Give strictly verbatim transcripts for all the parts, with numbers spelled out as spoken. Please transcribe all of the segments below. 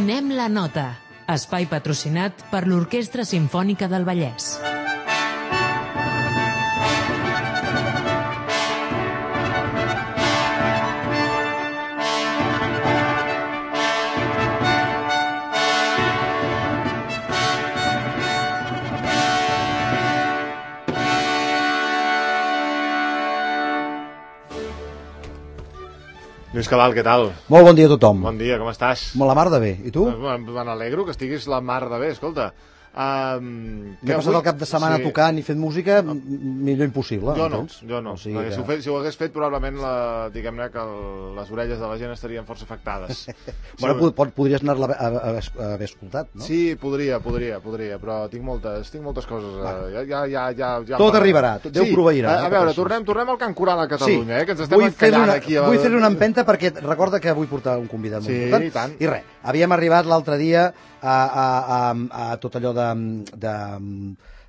Donem la nota. Espai patrocinat per l'Orquestra Simfònica del Vallès. Lluís Cabal, què tal? Molt bon dia a tothom. Bon dia, com estàs? Molt la mar de bé. I tu? Me n'alegro que estiguis la mar de bé, escolta. Um, M'he passat el cap de setmana sí. tocant i fent música millor impossible. Jo no, entens? jo no. O sigui que... si, ho fet, si ho hagués fet, probablement la, diguem-ne que el, les orelles de la gent estarien força afectades. Bueno, sí, pod, podries anar-la a, a, a haver escoltat, no? Sí, podria, podria, podria, però tinc moltes, tinc moltes coses. Bueno. Ja, ja, ja, ja, ja Tot arribarà, tot Déu sí, proveirà. A, a veure, tornem, tornem al Can Coral a Catalunya, sí. eh, que ens estem encallant una, aquí. A... Vull fer una empenta perquè recorda que vull portar un convidat molt sí, important. I tant. I res, havíem arribat l'altre dia a, a, a, a tot allò de, de,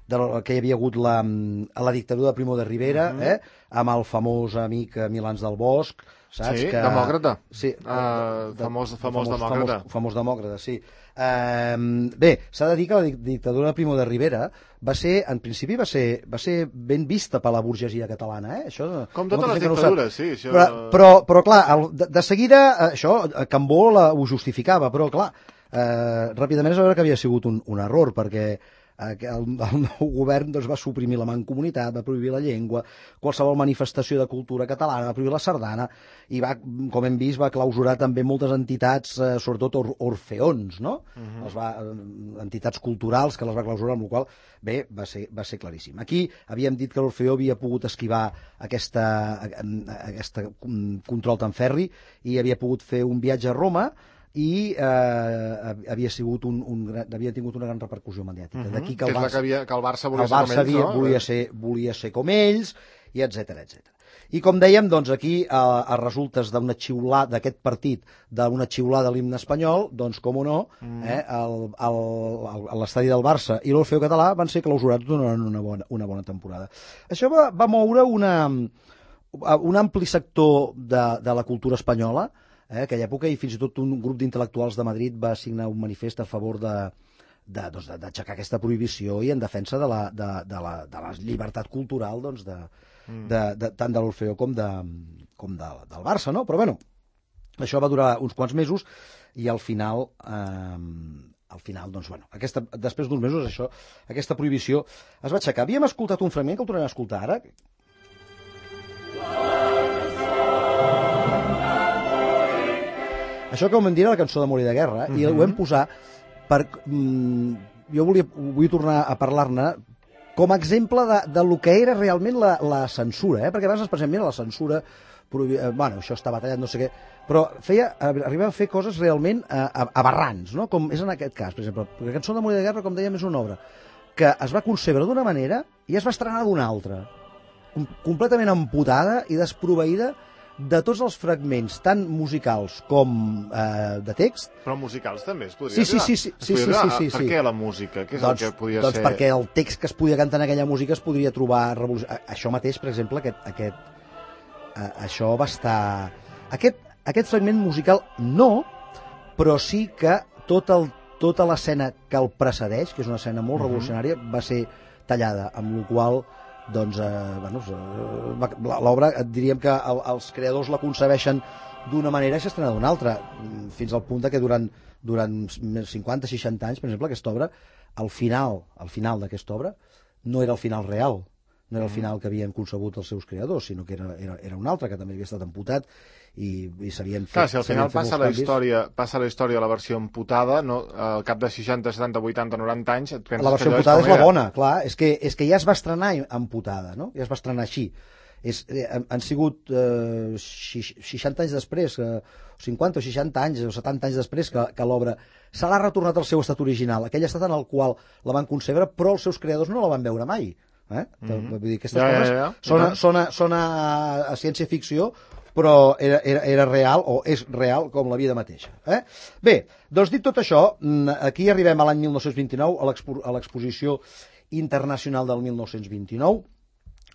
de que hi havia hagut la, a la dictadura de Primo de Rivera, uh -huh. eh, amb el famós amic Milans del Bosch, saps? Sí, que... demòcrata. Sí, uh, de, famós, de, famós, famós demòcrata. Famós, famós demòcrata, sí. Uh, bé, s'ha de dir que la dictadura de Primo de Rivera va ser, en principi va ser, va ser ben vista per la burgesia catalana, eh? Això, com totes les dictadures, no sí. Això... Però, però, però clar, el, de, de seguida, això, Cambó la, ho justificava, però clar, eh, ràpidament es va veure que havia sigut un, un error, perquè el, el nou govern doncs, va suprimir la mancomunitat, va prohibir la llengua, qualsevol manifestació de cultura catalana, va prohibir la sardana, i va, com hem vist, va clausurar també moltes entitats, eh, sobretot or, orfeons, no? Uh-huh. els va, entitats culturals que les va clausurar, amb la qual cosa, bé, va ser, va ser claríssim. Aquí havíem dit que l'Orfeó havia pogut esquivar aquesta, aquesta control tan ferri i havia pogut fer un viatge a Roma i eh, havia sigut un, un gran, havia tingut una gran repercussió mediàtica. Uh -huh. D'aquí que el que Barça, és la que, havia, que el Barça volia el Barça ser com ells, havia, no? volia, ser, volia ser com ells, i etcètera, etcètera. I com dèiem, doncs aquí, a, a resultes d'una xiulada, d'aquest partit, d'una xiulada de l'himne espanyol, doncs, com o no, mm. eh, l'estadi del Barça i l'Orfeó Català van ser clausurats durant una bona, una bona temporada. Això va, va moure una, un ampli sector de, de la cultura espanyola, eh, aquella època, i fins i tot un grup d'intel·lectuals de Madrid va signar un manifest a favor de d'aixecar doncs, de, aquesta prohibició i en defensa de la, de, de la, de la llibertat cultural doncs, de, mm. de, de, tant de l'Orfeó com, de, com de, del Barça, no? Però bueno, això va durar uns quants mesos i al final eh, al final, doncs, bueno, aquesta, després d'uns mesos això, aquesta prohibició es va aixecar. Havíem escoltat un fragment que el tornem a escoltar ara. Això que vam dir era la cançó d'Amor i de Guerra, mm-hmm. i ho vam posar per... Mm, jo volia, vull tornar a parlar-ne com a exemple de, de lo que era realment la, la censura, eh? Perquè abans ens pensem, mira, la censura, prohibi... eh, bueno, això està batallat, no sé què, però feia, arribava a fer coses realment eh, aberrants, no? Com és en aquest cas, per exemple. La cançó d'Amor i de Guerra, com dèiem, és una obra que es va concebre d'una manera i es va estrenar d'una altra, completament amputada i desproveïda de tots els fragments, tant musicals com eh, de text. Però musicals també es podria sí, sí, arribar. sí, sí, sí, sí, sí, sí, Per sí. què la música? Què és doncs, el que podia doncs ser? Doncs perquè el text que es podia cantar en aquella música es podria trobar revolucionari. Això mateix, per exemple, aquest, aquest, eh, això va estar... Aquest, aquest fragment musical no, però sí que tot el, tota l'escena que el precedeix, que és una escena molt uh-huh. revolucionària, va ser tallada, amb la qual doncs, eh, bueno, l'obra, diríem que el, els creadors la concebeixen d'una manera i s'estrena d'una altra, fins al punt que durant, durant cinquanta seixanta anys, per exemple, aquesta obra, al final, al final d'aquesta obra, no era el final real, no era el final que havien concebut els seus creadors, sinó que era, era, era un altre, que també havia estat amputat, i, i s'havien fet... Clar, si al final passa la, història, passa la història la versió amputada, no, al cap de seixanta, setanta, vuitanta, noranta anys, et penses la versió que amputada és, és la bona, clar, és que, és que ja es va estrenar amputada, no? Ja es va estrenar així. És, eh, han sigut eh, seixanta anys després, eh, cinquanta o seixanta anys o setanta anys després que, que l'obra se l'ha retornat al seu estat original, aquell estat en el qual la van concebre, però els seus creadors no la van veure mai. Eh? Mm-hmm. Vull dir, aquestes ja, coses ja, ja. Sona, sona, sona a ciència-ficció, però era, era, era real, o és real, com la vida mateixa. Eh? Bé, doncs dit tot això, aquí arribem a l'any mil nou-cents vint-i-nou, a l'exposició internacional del mil nou-cents vint-i-nou,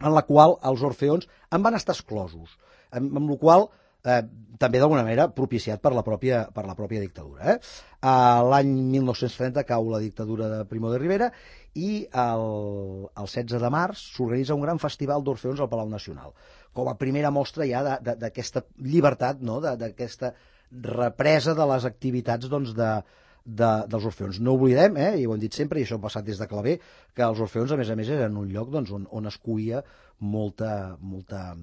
en la qual els Orfeons en van estar exclosos, amb, amb la qual eh, també d'alguna manera propiciat per la pròpia, per la pròpia dictadura. Eh? Uh, L'any mil nou-cents trenta cau la dictadura de Primo de Rivera i el, el setze de març s'organitza un gran festival d'Orfeons al Palau Nacional, com a primera mostra ja d'aquesta llibertat, no? d'aquesta represa de les activitats doncs, de, de, dels Orfeons. No oblidem, eh, i ho hem dit sempre, i això ha passat des de Clavé, que els Orfeons, a més a més, eren un lloc doncs, on, on es cuia molta, molta,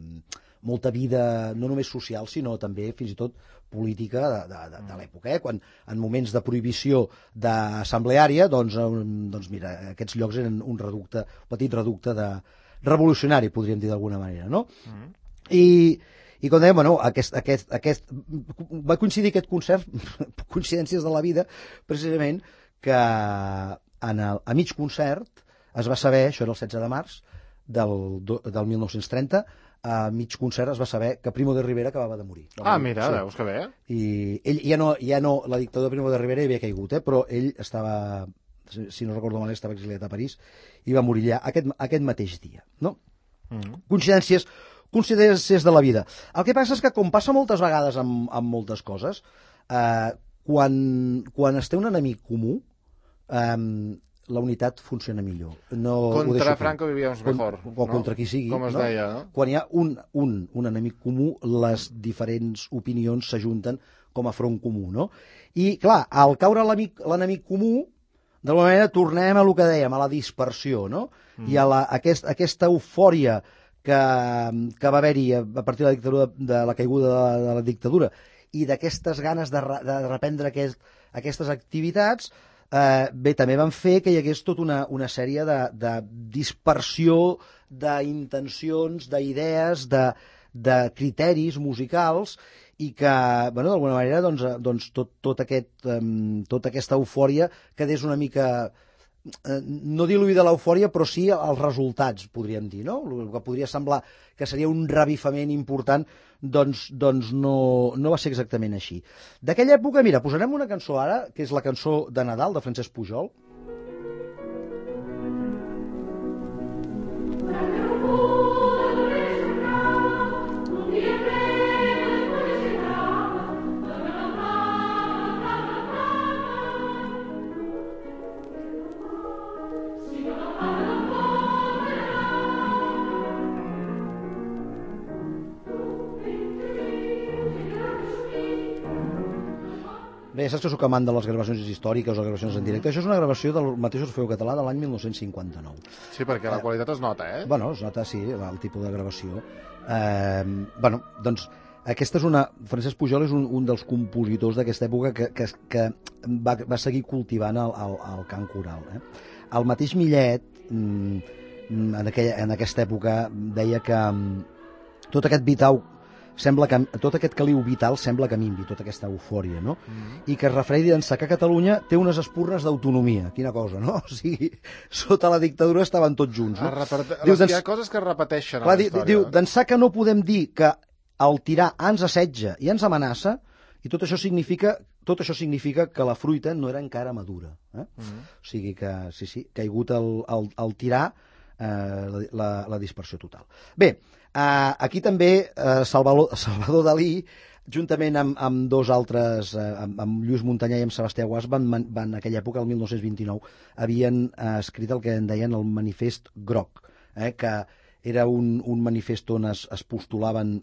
molta vida, no només social, sinó també, fins i tot, política de, de, de, de l'època. Eh? Quan, en moments de prohibició d'assembleària, doncs, doncs, mira, aquests llocs eren un reducte, un petit reducte de revolucionari, podríem dir d'alguna manera, no? Mm. I... I com dèiem, bueno, aquest, aquest, aquest, va coincidir aquest concert, coincidències de la vida, precisament que en el, a mig concert es va saber, això era el setze de març del, del mil nou-cents trenta, a mig concert es va saber que Primo de Rivera acabava de morir. Ah, mira, sí. Veus que bé. I ell ja no, ja no, la dictadura de Primo de Rivera havia caigut, eh, però ell estava, si no recordo mal, estava exiliat a París i va morir allà aquest, aquest mateix dia, no? Mm. Coincidències coincidències de la vida. El que passa és que, com passa moltes vegades amb, amb moltes coses, eh, quan, quan es té un enemic comú, eh, la unitat funciona millor. No, contra Franco vivíamos mejor. O no? Contra qui sigui. Com es no? deia, no? Quan hi ha un, un, un enemic comú, les diferents opinions s'ajunten com a front comú, no? I, clar, al caure l'enemic comú, d'alguna manera tornem a el que dèiem, a la dispersió, no? Mm. I a la, aquest, aquesta eufòria que, que va haver-hi a partir de la, dictadura, de la caiguda de la, de la dictadura i d'aquestes ganes de, de reprendre aquest, aquestes activitats, eh, bé, també van fer que hi hagués tota una, una sèrie de, de dispersió d'intencions, d'idees, de, de criteris musicals i que, bueno, d'alguna manera, doncs, doncs tot, tot aquest, um, tota aquesta eufòria quedés una mica... no diluïda l'eufòria, però sí els resultats, podríem dir, no? El que podria semblar que seria un revifament important, doncs, doncs no, no va ser exactament així. D'aquella època, mira, posarem una cançó ara, que és la cançó de Nadal, de Francesc Pujol. Bé, saps que sóc amant de les gravacions històriques o gravacions en directe. Això és una gravació del mateix Orfeu Català de l'any mil nou-cents cinquanta-nou. Sí, perquè la qualitat es nota, eh? Bueno, es nota, sí, el tipus de gravació. Eh, bueno, doncs, aquesta és una... Francesc Pujol és un, un dels compositors d'aquesta època que, que, que va, va seguir cultivant el, el, el cant coral. Eh? El mateix Millet, en, aquella, en aquesta època, deia que tot aquest vitau sembla que tot aquest caliu vital sembla que minvi, tota aquesta eufòria, no? Mm-hmm. I que es refereix d'ençà que Catalunya té unes espurnes d'autonomia. Quina cosa, no? O sigui, sota la dictadura estaven tots junts, no? Repet... Diu, hi ha coses que es repeteixen clar, a la història. Diu, d'ençà que no podem dir que el tirà ens assetja i ens amenaça, i tot això significa, tot això significa que la fruita no era encara madura. Eh? Mm-hmm. O sigui que, sí, sí, caigut el, el, el tirà, eh, la, la dispersió total. Bé, Uh, aquí també uh, Salvador, Salvador Dalí, juntament amb, amb dos altres, uh, amb, amb Lluís Montanyà i amb Sebastià Guàs, van, van, en aquella època, el mil nou-cents vint-i-nou, havien uh, escrit el que en deien el manifest groc, eh, que era un, un manifest on es, es postulaven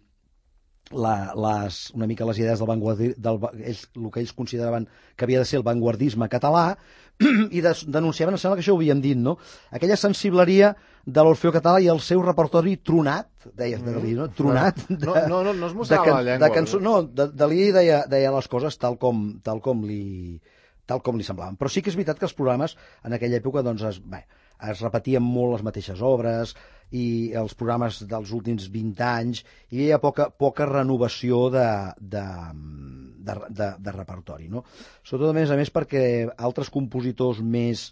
la, les, una mica les idees del vanguardisme, del, ells, el que ells consideraven que havia de ser el vanguardisme català, i des, denunciaven, em sembla que això ho havíem dit, no? Aquella sensibleria de l'Orfeó Català i el seu repertori tronat, deies de Dalí, no? Tronat. De, no, no, no, no es mostrava de, la llengua. De cançó, no, de, Dalí deia, deia les coses tal com, tal com li tal com li semblaven. Però sí que és veritat que els programes en aquella època doncs, es, bé, es repetien molt les mateixes obres i els programes dels últims vint anys i hi havia poca, poca renovació de, de, de, de, de repertori. No? Sobretot, a més a més, perquè altres compositors més,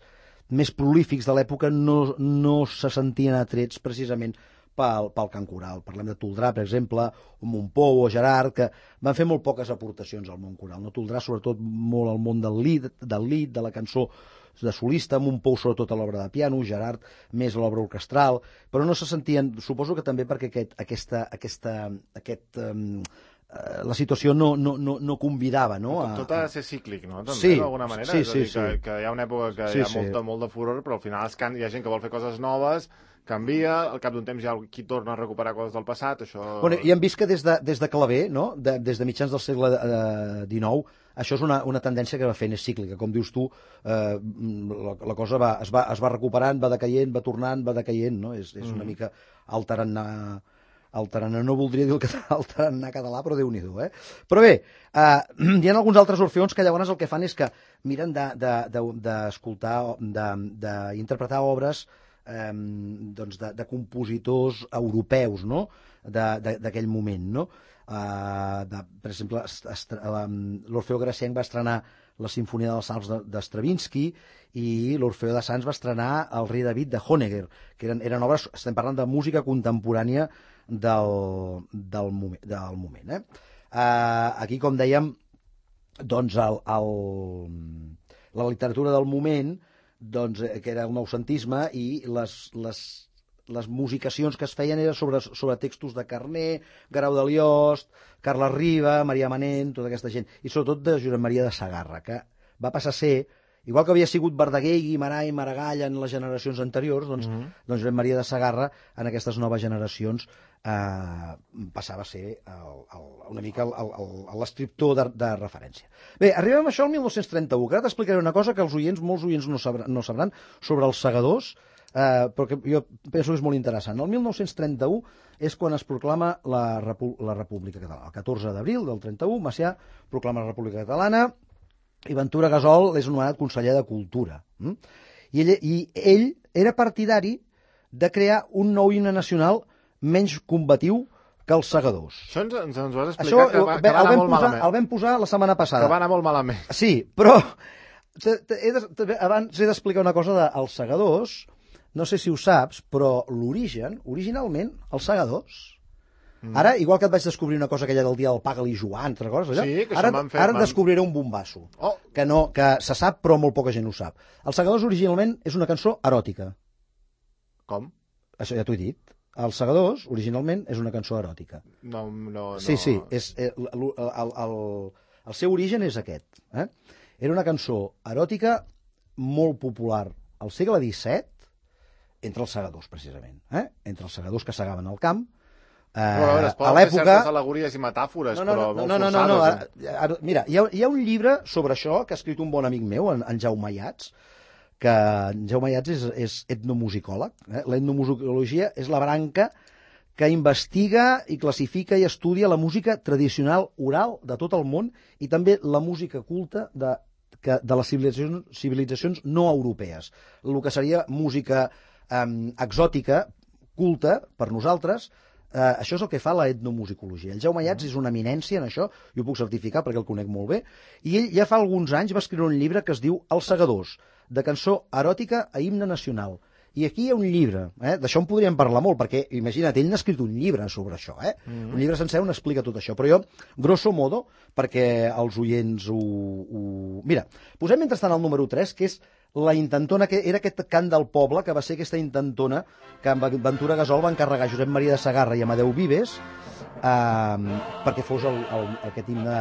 més prolífics de l'època no, no se sentien atrets precisament pel, pel cant coral. Parlem de Toldrà, per exemple, o Montpou o Gerard, que van fer molt poques aportacions al món coral. No? Toldrà, sobretot, molt al món del lied, del lied, de la cançó de solista, Montpou sobretot a l'obra de piano, Gerard més a l'obra orquestral, però no se sentien, suposo que també perquè aquest, aquesta, aquesta, aquest, um, la situació no, no, no, no convidava, no? A... Tot ha de ser cíclic, no? També, sí, d'alguna manera. Sí, és a dir, sí, que, sí. que hi ha una època que sí, hi ha molta, sí. molt de furor, però al final es can... hi ha gent que vol fer coses noves, canvia, al cap d'un temps hi ha qui torna a recuperar coses del passat, això... Bueno, i hem vist que des de, des de Clavé, no? de, des de mitjans del segle eh, dinou, això és una, una tendència que va fent, és cíclica. Com dius tu, eh, la, la cosa va, es, va, es va recuperant, va decaient, va tornant, va decaient, no? És, és una mm. mica el tarannà... El tarannà, no voldria dir el, el tarannà català, però Déu-n'hi-do, eh? Però bé, eh, hi ha alguns altres orfeons que llavors el que fan és que miren d'escoltar, d'interpretar obres eh, doncs de, de compositors europeus, no?, d'aquell moment, no? Uh, de, per exemple, l'Orfeó Gracienc va estrenar la Simfonia dels Alps de Stravinsky i l'Orfeó de Sants va estrenar El rei David de Honegger, que eren, eren obres, estem parlant de música contemporània del, del moment. Del moment eh? uh, aquí, com dèiem, doncs el, el, la literatura del moment, doncs, que era el noucentisme, i les, les les musicacions que es feien eren sobre, sobre textos de Carner, Guerau de Liost, Carles Riba, Maria Manent, tota aquesta gent, i sobretot de Josep Maria de Sagarra, que va passar a ser, igual que havia sigut Verdaguer, Guimarà i Maragall en les generacions anteriors, doncs, mm-hmm. doncs Josep Maria de Sagarra en aquestes noves generacions eh, passava a ser el, el, una mica l'escriptor de, de referència. Bé, arribem a això al mil nou-cents trenta-u, que ara t'explicaré una cosa que els oients, molts oients no sabran, no sabran sobre els segadors, Uh, perquè jo penso que és molt interessant. El mil nou-cents trenta-u és quan es proclama la, Repu la República Catalana. El catorze d'abril del trenta-u, Macià proclama la República Catalana i Ventura Gasol és nomenat conseller de Cultura. Mm? I, ell, I ell era partidari de crear un nou himne nacional menys combatiu que els segadors. Això ens, ens, ens ho has explicat, Això, que va, que va anar molt posar, malament. El vam posar la setmana passada. Que va anar molt malament. Sí, però he de, abans he d'explicar una cosa dels segadors. No sé si ho saps, però l'origen, originalment, els segadors... Mm. Ara, igual que et vaig descobrir una cosa aquella del dia del Paga-li Joan, altres coses, allò, sí, que ara, fet, ara man... descobriré un bombasso, oh. que, no, que se sap però molt poca gent ho sap. Els segadors originalment és una cançó eròtica. Com? Això ja t'ho he dit. Els segadors originalment és una cançó eròtica. No, no, no. Sí, sí, és, el, el, el, el seu origen és aquest. Eh? Era una cançó eròtica molt popular al segle disset, entre els segadors, precisament. Eh? Entre els segadors que segaven al camp. Eh, però a veure, es poden fer certes al·legories i metàfores, no, no, però molt no, no, forçades. No, no, no. Ara, ara, mira, hi ha, hi ha un llibre sobre això que ha escrit un bon amic meu, en, en Jaume Ayats, que en Jaume Ayats és, és etnomusicòleg. Eh? L'etnomusicologia és la branca que investiga i classifica i estudia la música tradicional oral de tot el món i també la música culta de, que, de les civilitzacions, civilitzacions no europees. El que seria música Um, exòtica, culta, per nosaltres, uh, això és el que fa la etnomusicologia. El Jaume Ayats és una eminència en això, jo ho puc certificar perquè el conec molt bé, i ell ja fa alguns anys va escriure un llibre que es diu Els segadors, de cançó eròtica a himne nacional. I aquí hi ha un llibre, eh? D'això en podríem parlar molt, perquè, imagina't, ell n'ha escrit un llibre sobre això, eh? Mm-hmm. Un llibre sencer on explica tot això, però jo, grosso modo, perquè els oients ho... ho... Mira, posem mentrestant el número tres, que és la intentona, que era aquest cant del poble, que va ser aquesta intentona que amb Ventura Gasol va encarregar a Josep Maria de Sagarra i Amadeu Vives eh, perquè fos el, el, aquest himne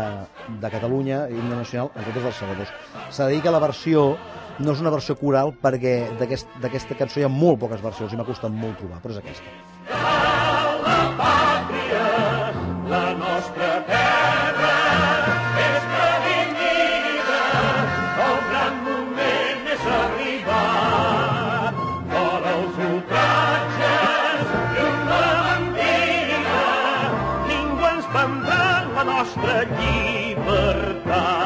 de Catalunya, himne nacional, en comptes dels segadors. S'ha de dir que la versió no és una versió coral perquè d'aquesta aquest, cançó hi ha molt poques versions i m'ha costat molt trobar, però és aquesta. La pàtria, la nostra terra, és redimida, el gran moment és arribat. Fora els ultratges i una mentida, ningú ens prendrà la nostra llibertat.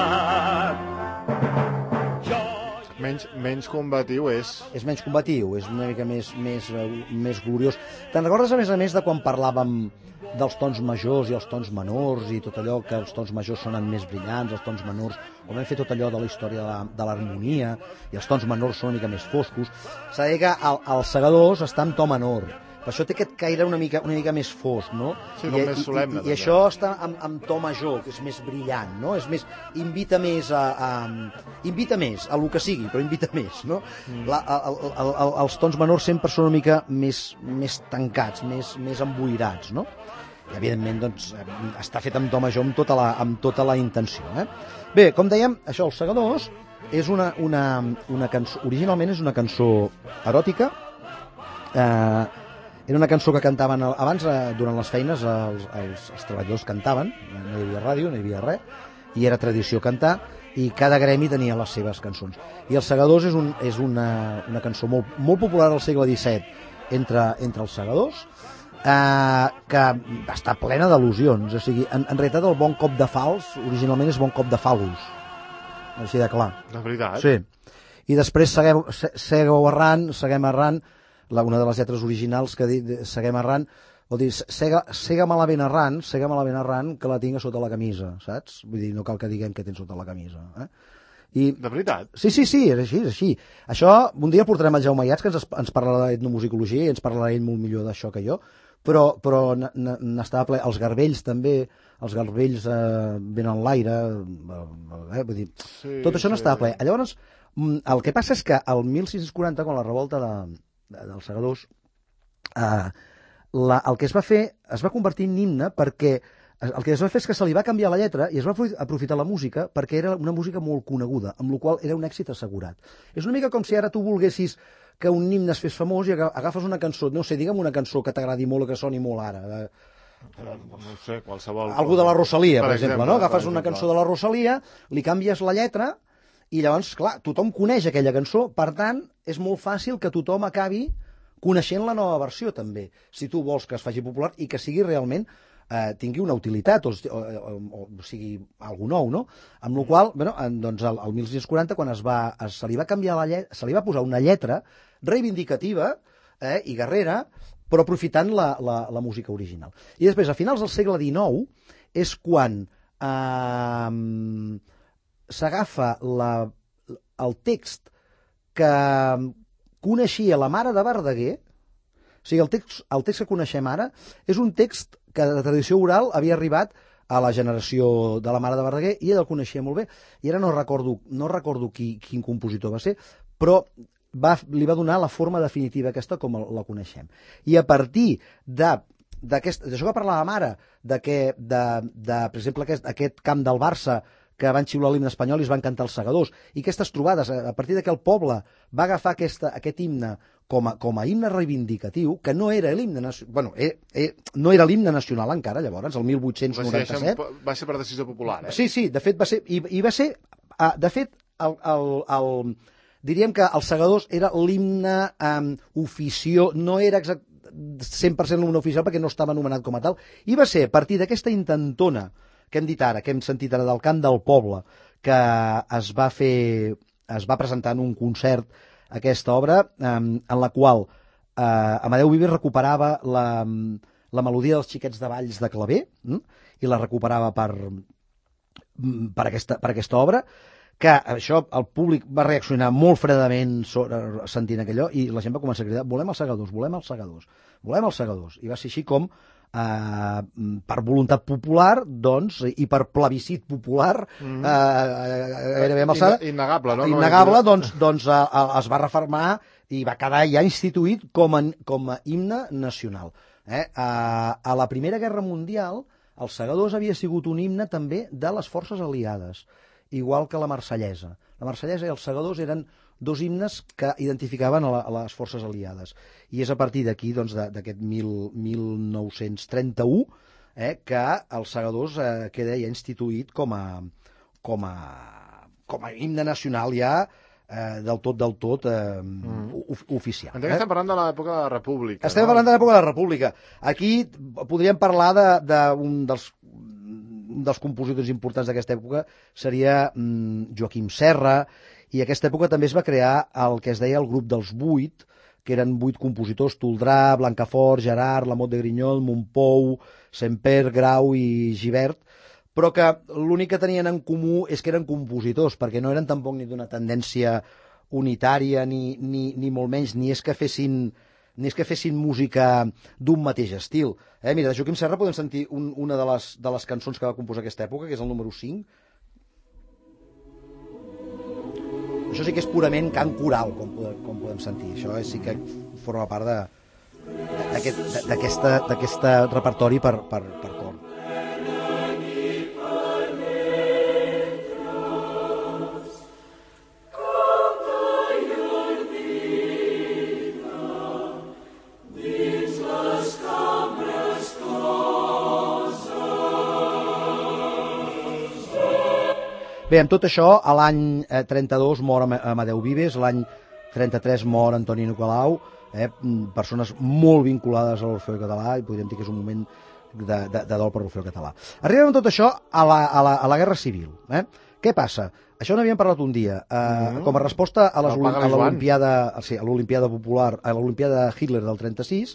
Menys, menys combatiu és... És menys combatiu, és una mica més, més, més gloriós. Te'n recordes, a més a més, de quan parlàvem dels tons majors i els tons menors i tot allò que els tons majors sonen més brillants, els tons menors, o vam fer tot allò de la història de l'harmonia i els tons menors són una mica més foscos. S'ha de dir que el, els segadors està en to menor. Per això té aquest caire una mica, una mica més fosc, no? Sí, com I, més solemne. I, i, i això està amb, amb to major, que és més brillant, no? És més, invita més a, a... Invita més a lo que sigui, però invita més, no? Mm. La, el, el, el, els tons menors sempre són una mica més, més tancats, més, més emboirats, no? i evidentment doncs, està fet amb do major amb tota la, amb tota la intenció. Eh? Bé, com dèiem, això, Els Segadors, és una, una, una cançó, originalment és una cançó eròtica, eh, era una cançó que cantaven abans, eh, durant les feines, els, els, els treballadors cantaven, no hi havia ràdio, no hi havia res, i era tradició cantar, i cada gremi tenia les seves cançons. I Els Segadors és, un, és una, una cançó molt, molt popular al segle disset entre, entre els segadors, eh, que està plena d'al·lusions. O sigui, en, en realitat el bon cop de fals originalment és bon cop de fal·lus. Així de clar. De veritat? Sí. I després segueu, segueu errant, seguem errant, la, una de les lletres originals que diu seguem errant, vol dir, sega, sega malament errant, sega malament errant, que la tinc a sota la camisa, saps? Vull dir, no cal que diguem que tens sota la camisa. Eh? I, de veritat? Sí, sí, sí, és així, és així. Això, un dia portarem el Jaume Iats, que ens, ens parlarà d'etnomusicologia i ens parlarà ell molt millor d'això que jo, però, però n'estava ple. Els garbells també, els garbells eh, venen l'aire, eh, vull dir, sí, tot això sí, n'estava ple. Llavors, el que passa és que el mil sis-cents quaranta, quan la revolta de, de, dels segadors, eh, la, el que es va fer, es va convertir en himne perquè el que es va fer és que se li va canviar la lletra i es va aprofitar la música perquè era una música molt coneguda, amb la qual era un èxit assegurat. És una mica com si ara tu volguessis que un himne es fes famós i agafes una cançó, no sé, digue'm una cançó que t'agradi molt o que soni molt ara. No sé, qualsevol... Algú de la Rosalia, per, per exemple, exemple, no? Agafes exemple. una cançó de la Rosalia, li canvies la lletra i llavors, clar, tothom coneix aquella cançó, per tant, és molt fàcil que tothom acabi coneixent la nova versió, també, si tu vols que es faci popular i que sigui realment eh, tingui una utilitat, o, o, o, o sigui, algú nou, no? Amb la qual, bueno, doncs, el, el mil sis-cents quaranta, quan es va, es, se li va canviar la lletra, se li va posar una lletra reivindicativa eh, i guerrera, però aprofitant la, la, la música original. I després, a finals del segle dinou, és quan eh, s'agafa el text que coneixia la mare de Verdaguer. O sigui, el text, el text que coneixem ara és un text que de tradició oral havia arribat a la generació de la mare de Verdaguer i ell el coneixia molt bé. I ara no recordo, no recordo qui, quin compositor va ser, però va, li va donar la forma definitiva aquesta com la coneixem. I a partir de d'això que parlava mare, de que, de, de, per exemple, aquest, aquest camp del Barça que van xiular l'himne espanyol i es van cantar els segadors, i aquestes trobades, a partir de que el poble va agafar aquesta, aquest himne com a, com a himne reivindicatiu, que no era l'himne bueno, eh, eh, no era l'himne nacional encara, llavors, el mil vuit-cents noranta-set. Va ser per decisió popular, eh? Sí, sí, de fet va ser, i, i va ser, de fet, el, el, el, diríem que els segadors era l'himne um, ofició, no era exact, cent per cent l'himne oficial perquè no estava anomenat com a tal, i va ser a partir d'aquesta intentona que hem dit ara, que hem sentit ara del cant del poble, que es va fer, es va presentar en un concert aquesta obra, eh, en la qual eh, Amadeu Vives recuperava la, la melodia dels xiquets de Valls de Claver, hm? i la recuperava per, per, aquesta, per aquesta obra, que això el públic va reaccionar molt fredament sentint aquello, i la gent va començar a cridar, volem els segadors, volem els segadors, volem els segadors, i va ser així com Uh, per voluntat popular, doncs, i per plebiscit popular, mm. uh, gairebé amb alçada, innegable, no? innegable, doncs, doncs uh, uh, es va reformar i va quedar ja instituït com a, com a himne nacional. Eh? Uh, a la Primera Guerra Mundial, els segadors havia sigut un himne també de les forces aliades, igual que la Marsellesa. La Marsellesa i els segadors eren dos himnes que identificaven a, la, a les forces aliades. I és a partir d'aquí, doncs, d'aquest mil nou-cents trenta-u, eh, que els segadors eh, queda ja instituït com a, com a, com a himne nacional ja eh, del tot, del tot eh, mm. oficial. Entenc que estem parlant de l'època de la República. Estem no? parlant de l'època de la República. Aquí podríem parlar d'un de, de dels un dels compositors importants d'aquesta època seria mm, Joaquim Serra, i a aquesta època també es va crear el que es deia el grup dels vuit, que eren vuit compositors, Toldrà, Blancafort, Gerard, Lamot de Grinyol, Montpou, Semper, Grau i Gibert, però que l'únic que tenien en comú és que eren compositors, perquè no eren tampoc ni d'una tendència unitària, ni, ni, ni molt menys, ni és que fessin, ni és que fessin música d'un mateix estil. Eh, mira, de Joaquim Serra podem sentir un, una de les, de les cançons que va composar aquesta època, que és el número cinc. Això sí que és purament cant coral, com podem, com podem sentir. Això sí que forma part de, d'aquest repertori per, per, per cor. Bé, amb tot això, a l'any trenta-dos mor Amadeu Vives, l'any trenta-tres mor Antoni Nicolau, eh, persones molt vinculades a l'Orfeó Català, i podríem dir que és un moment de, de, de dol per l'Orfeó Català. Arribem amb tot això a la, a la, a la Guerra Civil. Eh? Què passa? Això n'havíem parlat un dia. Eh, mm-hmm. Com a resposta a l'Olimpiada sí, a l'Olimpiada Popular, a l'Olimpiada Hitler del trenta-sis,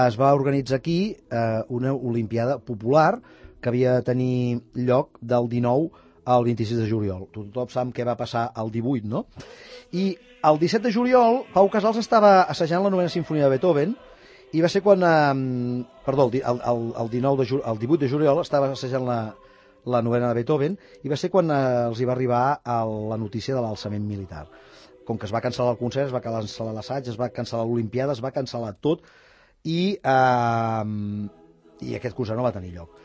es va organitzar aquí eh, una Olimpiada Popular que havia de tenir lloc del dinou el vint-i-sis de juliol. Tothom sap què va passar el divuit, no? I el disset de juliol, Pau Casals estava assajant la novena sinfonia de Beethoven i va ser quan, eh, perdó, el, el, el, dinou de, el divuit de juliol estava assajant la, la novena de Beethoven i va ser quan eh, els hi va arribar a la notícia de l'alçament militar. Com que es va cancel·lar el concert, es va cancel·lar l'assaig, es va cancel·lar l'Olimpiada, es va cancel·lar tot i, eh, i aquest concert no va tenir lloc.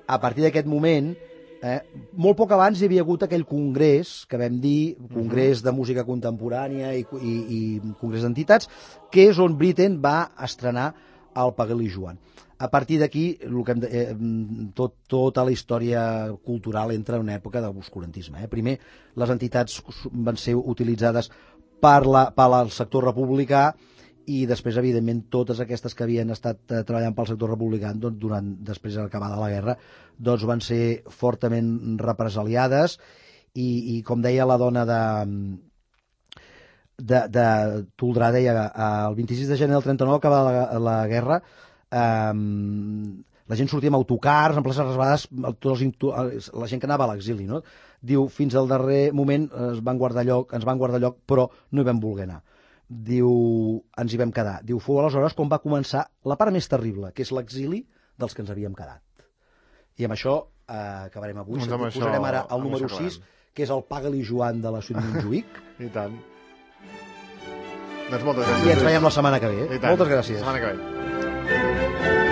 A partir d'aquest moment, Eh, molt poc abans hi havia hagut aquell congrés que vam dir, congrés de música contemporània i, i, i congrés d'entitats, que és on Britten va estrenar el Pagel i Joan. A partir d'aquí, eh, tot, tota la història cultural entra en una època d'obscurantisme. Eh? Primer, les entitats van ser utilitzades per, la, per el sector republicà i després, evidentment, totes aquestes que havien estat eh, treballant pel sector republicà doncs, durant, després d'acabada la guerra, doncs van ser fortament represaliades i, i com deia la dona de, de, de Toldrà, deia el vint-i-sis de gener del trenta-nou, acabada la, la guerra, eh, la gent sortia amb autocars, en places reservades, tots els, la gent que anava a l'exili, no? Diu, fins al darrer moment es van guardar lloc, ens van guardar lloc, però no hi vam voler anar. Diu, ens hi vam quedar. Diu, fou aleshores quan va començar la part més terrible, que és l'exili dels que ens havíem quedat. I amb això eh, acabarem avui. Doncs amb això, posarem ara el número sis, que és el Pagel i Joan de la Suite Montjuïc. I tant. Doncs moltes gràcies. I ens veiem la setmana que ve. Moltes gràcies. La setmana que ve.